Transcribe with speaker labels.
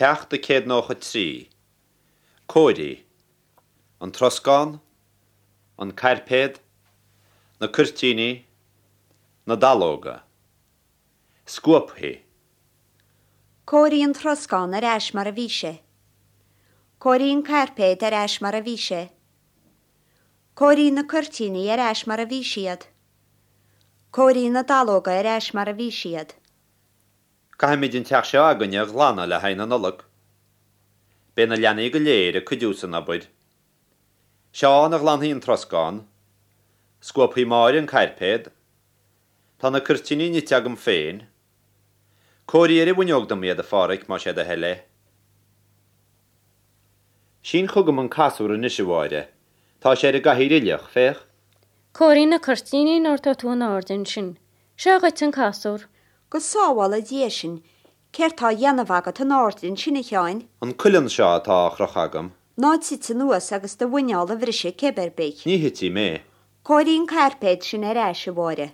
Speaker 1: Ceacht 193. Cóirigh. An troscán. An cairpéad. Na cuirtíní. Na dallóga. Scuabfaidh.
Speaker 2: Cóirigh an troscán ar ais mar a bhí sé. Cóirigh an cairpéad ar ais mar a bhí sé. Cóirigh na cuirtíní ar ais mar a bhí siad. Cóirigh na dallóga ar ais mar a bhí siad.
Speaker 1: Caithfimid an teach seo againne a ghlanadh le haghaidh na Nollag. Beidh na leanaí go léir ag cuidiú san obair. Seán a ghlanfaidh an troscán. Scuabfaidh Máire an cairpéad. Tá na cuirtíní nite agam féin. Cóirigh ar an bhfuinneog dom iad, a Pháraic, más é do thoil é. Sín chugam an casúr anois, a Mháire. Tá sé ar an gcathaoir uilleach, féach.
Speaker 3: Cóirigh na cuirtíní nuair atá tú in airde ansin. Seo dhuit an casúr.
Speaker 2: Go sábhála Dia sinn, céard tá á dhéanamh agat in airde ansin, a Sheáin?
Speaker 1: An cuileann seo atá á chrochadh agam.
Speaker 2: Ná tit anuas agus do mhuineál a bhriseadh cib ar bith.
Speaker 1: Ní thitfidh mé.
Speaker 2: Cóirigh an cairpéad sin ar ais, a Mháire.